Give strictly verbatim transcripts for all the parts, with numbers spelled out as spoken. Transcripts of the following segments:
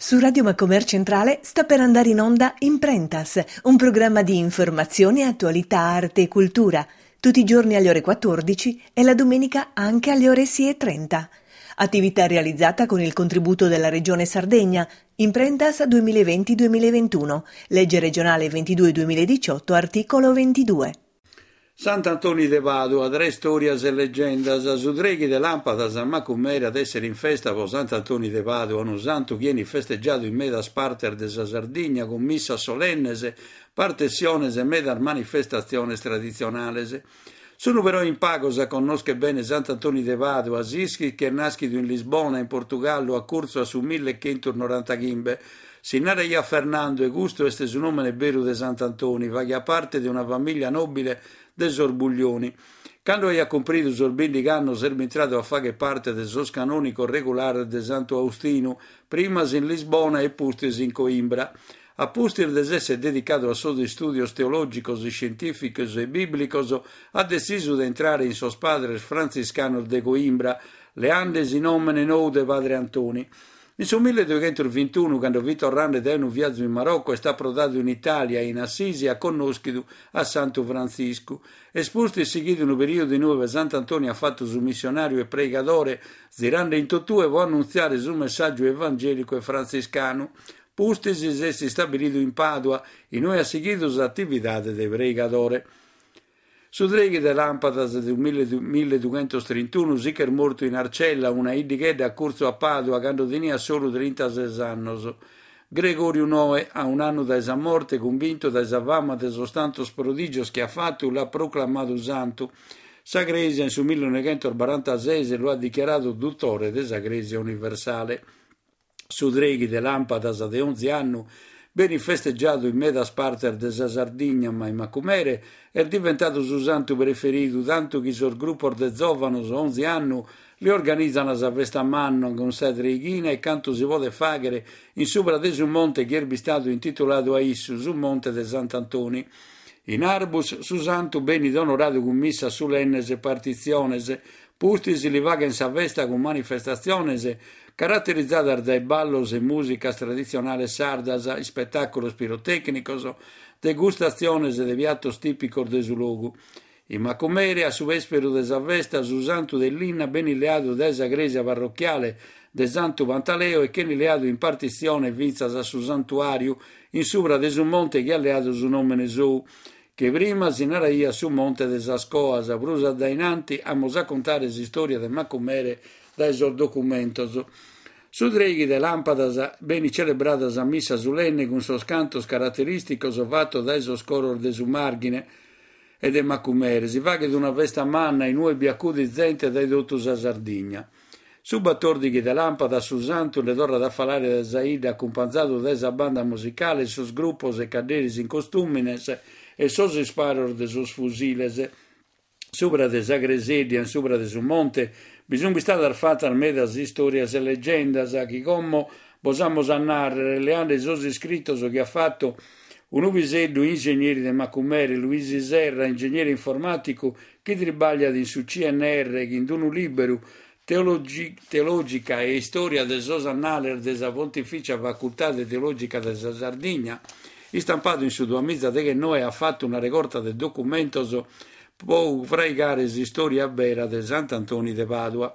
Su Radio Macomer Centrale sta per andare in onda Imprentas, un programma di informazione, attualità, arte e cultura, tutti i giorni alle ore quattordici e la domenica anche alle ore sei e trenta. Attività realizzata con il contributo della Regione Sardegna, Imprentas duemilaventi duemilaventuno, legge regionale ventidue duemiladiciotto, articolo ventidue. Sant'Antoni de Padua, tre storias e legendas, su treghi de Làmpadas a Macumere at essere in festa pro Sant'Antoni de Padua, unu santu chi enit festeggiadu in medas partes de sa Sardigna cun missas solennes, partessiones e medas manifestatziones traditzionales. Sunu però in pagos a connoschere bene Sant'Antoni de Padua, s'ischit chi est naschidu in Lisbona, in Portugallu, a curtzu a su millechentunorantaghimbe. Si naraiat Fernando e custu est su nòmene beru de Sant'Antoni, faghiat parte de una famiglia nobile de sos Buglioni. Cando aiat cumpridu sos bindighi annos est bintradu a fagher parte de sos canònicos regulares de Santu Austinu, primas in Lisbona e pustis in Coimbra. A pustis de s'essere dedicadu a sos istùdios teològicos, iscientìficos e bìblicos, at detzisu de intrare in sos padres frantziscanos de Coimbra, leandesi nòmene nou de Padre Antoni. In su milledueghentos vintunu, cando fit torrende dae unu viazu in Marocco, est aprodadu in Itàlia e in Assisi at connòschidu a Santu Frantziscu. Est pustis sighidu unu perìodu in ue Sant'Antoni at fatu su missionàriu e preigadore, zirande in totue pro annuntziare su messàgiu evangèlicu e frantziscanu. Pustis s'est istabilidu in Pàdua, in ue at sighidu s'atividade de preigadore. Su treghi de Làmpadas de milledueghentostrintunu si ch'est mortu in Arcella, una iddighedda a curtzu a Pàdua, cando teniat solu trintases annos. Gregoriu noe, a un'annu dae sa morte, cumbintu dae sa fama de sos tantos prodigios chi at fatu, l'at proclamadu santu. Sa Crèsia in su millenovechentobarantases lu at dichiaradu dutore de sa Crèsia Universale. Su treghi de Làmpadas de onzi annu benit festeggiadu in medas partes de sa Sardigna, ma in Macumere est diventadu su santu preferidu, tantu chi sos grupos de zòvanos onzi annu li organizan sa festa manna cun sa treighina e cantu si podet fàghere in subra de su monte chi est bistadu intituladu a issu, su Monte de Sant'Antoni. In Arbus su santu benit onoradu cun missas sulennes e partitziones, pustis li faghen sa festa cun manifestatziones caraterizadas dae ballos e mùsicas traditzionales sardas, ispetàculos pirotècnicos, degustatziones de piatos tìpicos de su logu. In Macumere, a su vèsperu de sa festa, su santu de linna benit leadu dae sa crèsia parrochiale de Santu Pantaleo e ch'enit leadu in partitzione fintzas a su santuàriu in subra de su monte chi at leadu su nòmene sou, che prima si naraiat su Monte de sas Coas. Prus a dainanti amus a contare s'istòria de Macumere dae sos documentos. Su treghi de Làmpadas benit celebrada sa missa sulenne cun sos cantos caraterìsticos fatos dae sos coros de su Màrghine e de Macumere. Si faghet una festa manna in ue bi acudit zente dae totu sa Sardigna. Su batòrdighi de Làmpadas su santu nde torrat a falare dae sa idda acumpanzadu dae sa banda musicale, sos grupos e cadderis in costùmines e sos isparos de sos fusiles. Subra de sa creseddia, in subra de su monte, bi sunt bistadas fatas medas istòrias e legendas chi como bos amus a nàrrere, leande sos iscritos chi at fatu unu piseddu ingegneri de Macumere, Luisi Serra, ingegneri informàticu chi tribagliat in su C N R, chi in unu lìberu Teologi, Teològica e Istòria de sos Annales de sa Pontificia Facultade Teològica de sa Sardigna, istampadu in su duamìgiadeghennoe, at fatu una regorta de documentos pro fraigare s'istòria bera de Sant'Antoni de Padua.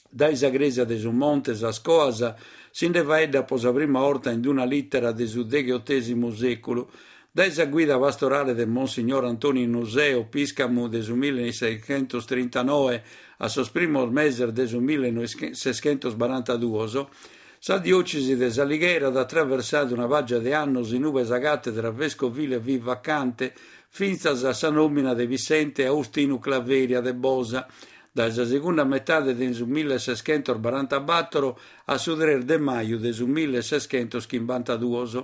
Dae sa crèsia de su Monte Sas Coas si nde faeddat pro sa prima orta in una lìtera de su degheotèsimu sèculu. Dae sa guida pastorale de Monsignor Antoni Nuseo, pìscamu de su milleseichentostrintanoe a sos primos meses de su milleseichentobarantaduos, sa diòcesi de S'Alighera at atraversadu una pàgia de annos in ue sa càtedra vescovile fit vacante fintzas a sa nòmina de Vissente Austinu Claveria de Bosa, dae sa segunda metade de su milleseichentobarantabator a su tres de maju de su milleseichentochimbantaduos.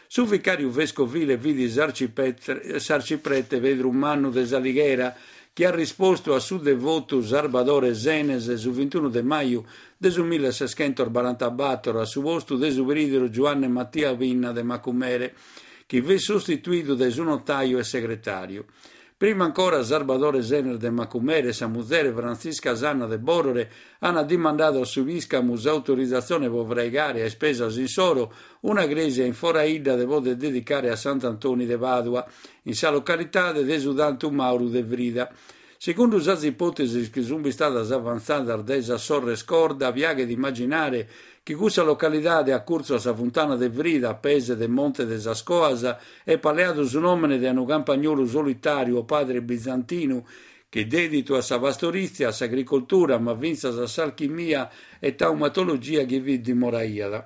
Su vicàriu vescovile fit s'arciprete Pedru Mannu de S'Alighera, chi at rispostu a su devotu Sarbadore Senes su vintunu de maju de su milleseichentobarantabator a su postu de su preìderu Giuanne Mattia Pinna de Macumere, chi fit sostituidu dae su notàiu e segretàriu. Prima ancora Sarbadore Senes de Macumere e sa muzere Frantzisca Sanna de Borore ant dimandadu a su pìscamu s'autorizatzione pro fraigare a ispesas insoro una crèsia in foraidda de poder dedicare a Sant'Antoni de Pàdua, in sa localidade de su Tantu Mauru de Frida. Segundu sas ipòtesis chi sunt istadas avantzadas dae sas sorres Corda, piaghet immaginare chi cussa localidade a curtzu a sa funtana de Frida, a pese de Monte de sas Coas, epat leadu su nòmene de unu campagnolu solitàriu o padre bizantinu chi deditu a sa pastorìtzia, a s'agricoltura, ma fintzas a s'alchimia e taumatologia chi bi dimoraiat.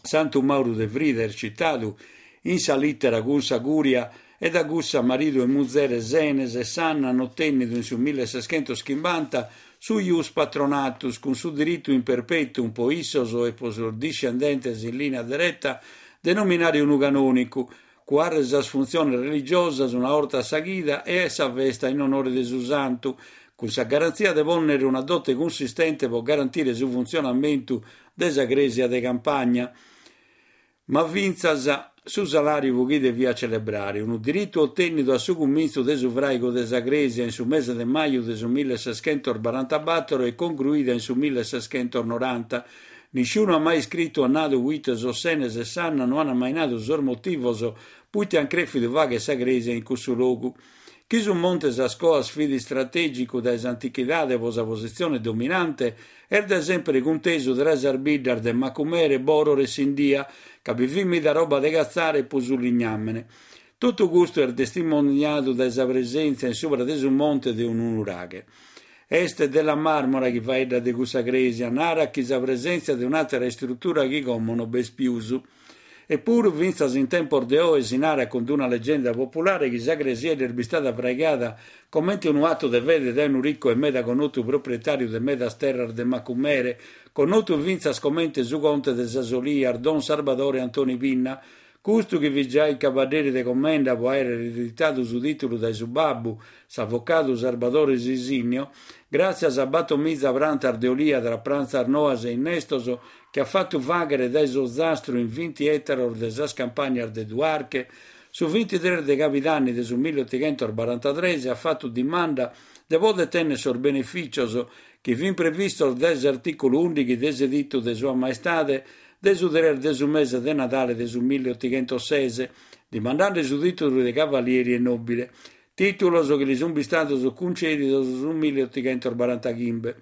Santu Mauru de Frida est citadu in sa lìtera cun sa cùria e da cussa maridu e muzere Senes e Sanna ant otènnidu in su milleseschentos-chimbanta su ius patronatus cun su diritu in perpetuum pro issos e pro sos discendentes in lìnia dereta de nominare unu canònicu, cuare sas funtziones religiosas una 'orta a sa chida e a sa festa in onore de su santu, cun sa garantzia de pònnere una dote cunsistente pro garantire su funtzionamentu de sa crèsia de campagna. Ma fintzas su salàriu pro chi deviat celebrare, unu diritu otènnidu a su cumintzu de su fràigu de sa crèsia in su mese de maju de su milleseschentos-barantabator e congruida in su milleseschentos-noranta. Nisciunu at mai iscritu o nadu puite sos Senes e Sanna no ant mai nadu sos motivos puite ant crèfidu fàghere sa crèsia in cussu logu. Chi su Monte Sas Coas fit istratègicu dae s'antichidade pro sa positzione dominante, est dae sempre cuntesu tra sas biddas de Macumere, Borore e Sindia, ca bi fit meda roba de catzare pro su lignàmene. Totu custu est testimoniadu dae sa presèntzia in subra de su monte de unu nuraghe. Est Della Marmora chi faeddat de cussa crèsia, narat chi sa presèntzia de un'àtera istrutura chi como no b'est pius. Eppuru, fintzas in tempos de oe si narat cun una legenda populare chi sa cresiedda est bistada fraigada comente unu atu de fede dae unu riccu e meda connotu proprietàriu de medas terras de Macumere, connotu fintzas comente su conte de sas Olias, Don Sarbadore Antoni Pinna. Custu chi fit giai cabadderi de commenda pro àere ereditadu su tìtulu dae su babbu, s'avocadu Sarbadore Sisinnio, gràtzias a battomiza prantas de olia tra prantzas noas e innestos chi at fatu fàghere dae s'Ozastru in vinti ètaros de sas campagnas de Duarche, su vintitrès de cabidanni de su milleotighentos-barantatres at fatu dimanda de poder tènnere sos benefìcios chi fin previstos dae s'artìculu ùndighi de s'editu de Sua Maestade de su tres de su mese de Nadale de su milleotighentos-ses, dimandende su tìtulu de cavalieri e nòbile, tìtulos chi li sunt bistados cuncèdidos su milleotighentos-barantachimbe.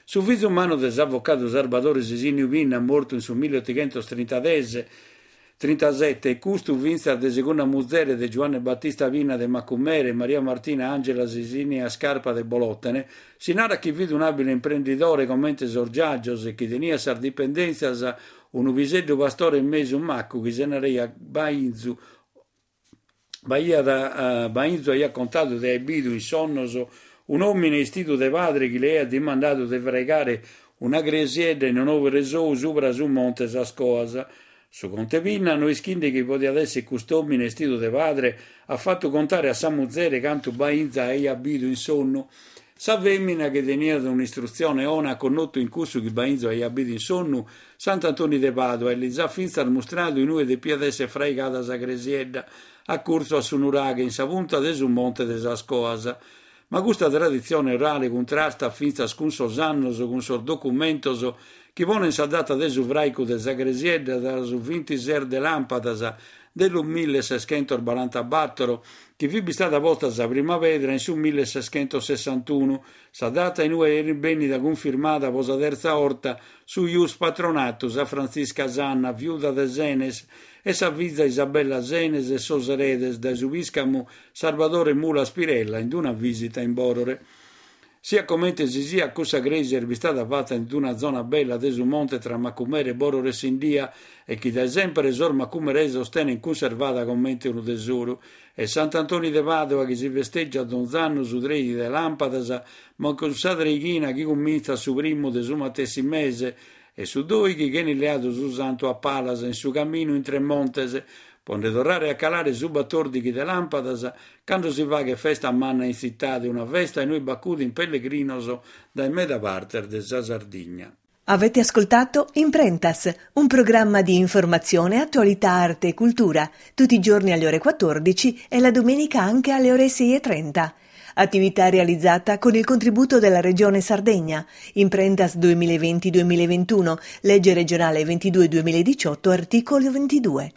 Su fizu mannu de s'avocadu Sarbadore Sisinniu Pinna, mortu in su milleotighentos-trintases, trintasete, e custu fintzas de segunda muzere de Giuanne Battista Pinna de Macumere e Maria Martina Angela Sisinia Scarpa de Bolòtene, si narat chi fit un'àbile imprendidore comente sos giàgios e chi teniat sas dipendèntzias unu piseddu pastore mesu maccu chi si naraiat Bainzu. B'aiat, Bainzu aiat contadu de aer bidu in sonnos un'òmine 'estidu de padre chi li aiat dimandadu de fraigare una cresiedda in onore sou subra su Monte Sas Coas. Su conte Pinna, no ischinde chi podiat èssere cust'òmine 'estidu de padre, at fatu contare a sa muzere cantu Bainza aiat bidu in sonnu. Sa fèmina, chi teniat un'istrutzione 'ona, at connotu in cussu chi Bainzu aiat bidu in sonnu Sant'Antoni de Pàdua e lis at fintzas mustradu inue depiat èssere fraigada sa cresiedda, a curtzu a su nuraghe, in sa punta de su Monte de sas Coas. Ma custa traditzione orale cuntrastat fintzas cun sos annos, cun sos documentos chi ponent sa data de su fràigu de sa cresiedda tra su vintises de làmpadas de su milleseschentos-barantabator, chi fit bistada posta sa prima pedra in su milleseschentos-sessantunu, sa data inue est bènnida cunfirmada pro sa tertza 'orta su ius patronatus a Frantzisca Sanna, viuda de Senes, e sa fiza Isabella Senes e sos eredes dae su pìscamu Sarbadore Mulas Pirella in una visita in Borore. Siat comente si siat, cussa crèsia est bistada fata in una zona bella de su monte tra Macumere, Borore e Sindia e chi dae sempre sos macumeresos tenent cunservada comente unu tesoru. E Sant'Antoni de Pàdua chi si festeggiat donz'annu su trèighi de làmpadas, ma cun sa treighina chi cumintzat su primu de su matessi mese e su dòighi ch'enit leadu su santu a palas in su caminu intre montes, pro nde torrare a calare su batòrdighi de làmpadas cando si faghet festa manna in tzitade, una festa inue b'acudin pellegrinos dae meda partes de sa Sardigna. Avete ascoltato Imprentas, un programma di informazione, attualità, arte e cultura, tutti i giorni alle ore quattordici e la domenica anche alle ore sei e trenta. Attività realizzata con il contributo della Regione Sardegna. Imprentas duemilaventi-duemilaventuno, legge regionale ventidue duemiladiciotto, articolo ventidue.